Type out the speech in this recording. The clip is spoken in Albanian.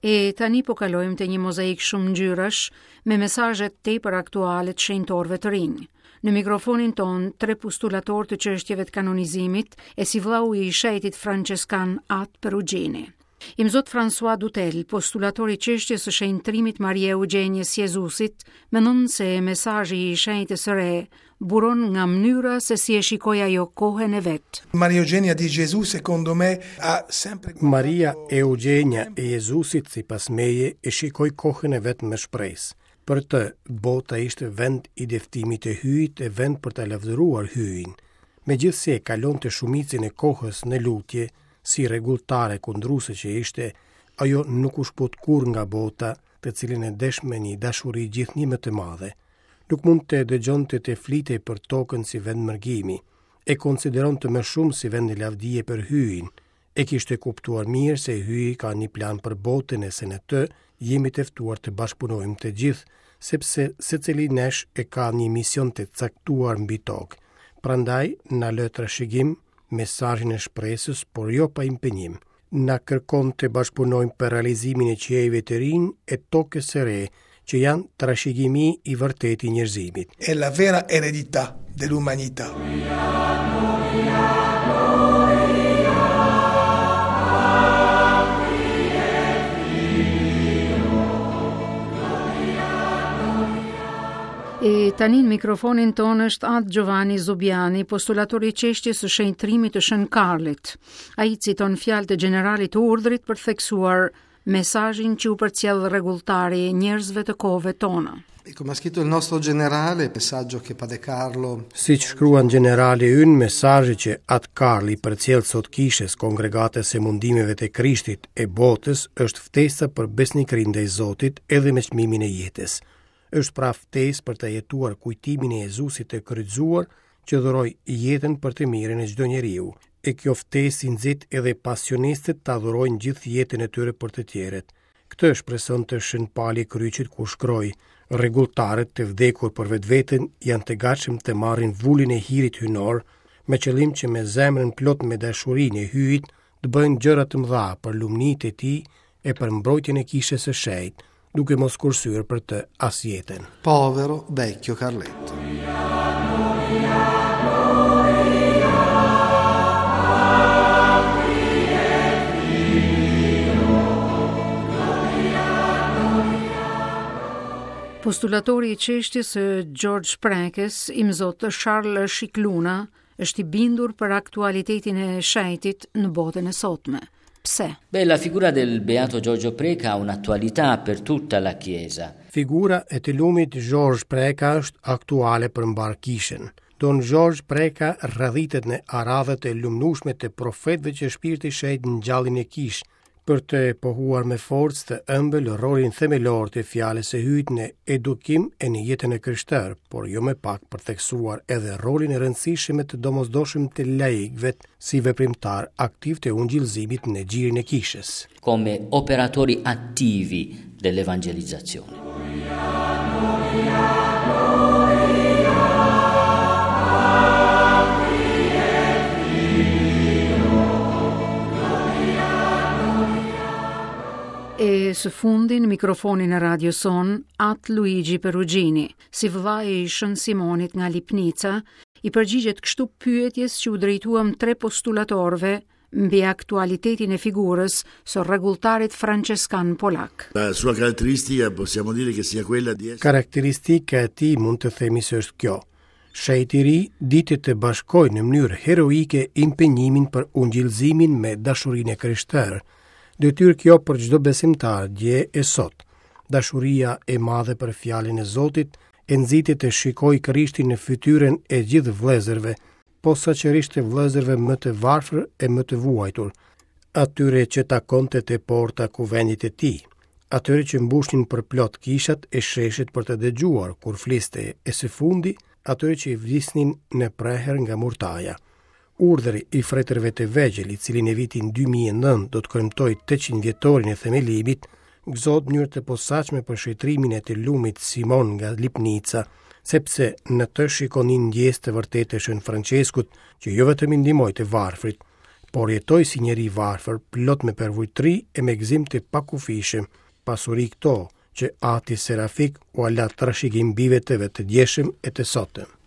E tani po kalojmë te një mozaik shumëngjyrësh me mesazhe tepër aktuale të shenjtorëve të rinj. Në mikrofonin tonë, tre postulatorë të çështjeve të kanonizimit e si vllau i shenjtit Françeskan At Perugini. Imzot François Dutel, postulator i çështjes së shenjtërimit Maria Eugenies Jezusit, mendon se mesazhi i shenjtës së re buron nga mënyra se si e shikoi ajo kohën e vet. Maria Eugenia di Gesù secondo me ha sempre Maria Eugenia e Jezusit sipas meje e shikoi kohën e vet me shpresë. Për të, bota ishte vend i dëftimit të Hyjit e vend për ta lavdëruar Hyjin. Megjithëse kalonte shumicën e kohës në lutje, si rregulltare kundruese që ishte, ajo nuk u shkëput kurrë nga bota, të cilën e desh me një dashuri gjithnjë më të madhe. Nuk mund të dëgjonte të flitej për tokën si vend mërgimi. E konsideronte më shumë si vend lavdie për Hyjin. E kishte kuptuar mirë se Hyji ka një plan për botën e se në të jemi të ftuar të bashkëpunojmë të gjithë, sepse secili nesh e ka një mision të caktuar mbi tokë. Prandaj na lë trashëgim mesazhin e shpresës, por jo pa impenjim. Na kërkon të bashkëpunojmë për realizimin e qiejve të rinj e tokës së re, që janë trashëgimi i vërtetë i njerëzimit. È la vera eredità dell'umanità. E tani në mikrofonin tonë është Atë Giovanni Zubiani, postulator i çështjes së shenjtërimit të Shën Karlit. Ai citon fjalët e gjeneralit të urdhrit për të theksuar mesazhin që u përcjell rregulltari njerëzve të kohëve tona. E come ha scritto il nostro generale, messaggio che Padre Carlo Siç shkruan gjenerali ynë, mesazhi që Atë Karli i përcjell sot kishës, kongregatës së mundimeve të Krishtit e botës, është ftesa për besnikëri ndaj Zotit edhe me çmimin e jetës. Është pra ftesë për të jetuar kujtimin e Jezusit të kryqëzuar që dhuroi jetën për të mirën e çdo njeriu. E kjo ftesë i nxit edhe pasionistët ta dhurojnë gjithë jetën e tyre për të tjerët. Këtë shpresonte Shën Pali i Kryqit kur shkroi: Rregulltarët të vdekur për vetveten janë të gatshëm të marrin vulën e hirit hyjnor, me qëllim që me zemrën plot me dashurinë e Hyjit të bëjnë gjëra të mëdha për lumnitë e tij e për mbrojtjen e kishës së shenjtë, duke mos kursyer për të as jetën. Povero vecchio Carletto. Postulatori i çështjes së Xhorxh Prekës, imzot Charles Scicluna, është i bindur për aktualitetin e shenjtit në botën e sotme. Pse? Beh, la figura del Beato Giorgio Preca ha un'attualità per tutta la Chiesa. Figura e të lumit Zhorzh Preka është aktuale për mbarë kishën. Don Zhorzh Preka radhitet në aradhët e lumnueshme të profetëve që Shpirti i Shenjtë ngjalli në kishë, për të pohuar me forcë të ëmbël rolin themelor të fjalës së Hyjit në edukim e në jetën e krishterë, por jo më pak për të theksuar edhe rolin e rëndësishëm e të domosdoshëm të laikëve si veprimtarë aktivë të ungjillëzimit në gjirin e kishës. Come operatori attivi dell'evangelizzazione. E së fundi në mikrofonin e radios sonë, At Luigi Perugini, si vëllai i Shën Simonit nga Lipnica, i përgjigjet kështu pyetjes që u drejtuam tre postulatorëve mbi aktualitetin e figurës së rregulltarit françeskan polak. La sua caratteristica possiamo dire che sia quella di essere Karakteristika e tij mund të themi se është kjo. Shenjti i ri diti të bashkojë në mënyrë heroike impenjimin për ungjillëzimin me dashurinë e krishterë. Detyrë kjo për çdo besimtar dje e sot. Dashuria e madhe për fjalën e Zotit e nxiti të shikojë Krishtin në fytyrën e gjithë vëllezërve, posaçërisht të vëllezërve më të varfër e më të vuajtur, atyre që takonte te porta e kuvendit të tij, atyre që mbushnin përplot kishat e sheshet për të dëgjuar kur fliste e së fundi atyre që i vdisnin në prehër nga murtaja. Urdhri i fretërve të vegjël, i cili në vitin 2009 do të kremtojë 800 vjetorin e themelimit, gëzohet në mënyrë të posaçme për shenjtërimin e të lumit Simon nga Lipnica, sepse në të shikon një ndjesë të vërtetë të Shën Françeskut, që jo vetëm i ndihmoi të varfrit. Por jetoi si njeri i varfër, plot me përvujtëri e me gëzim të pakufishëm, pasuri këto që ati Serafik ua la trashëgim bijve të vet të djeshëm e të sotëm.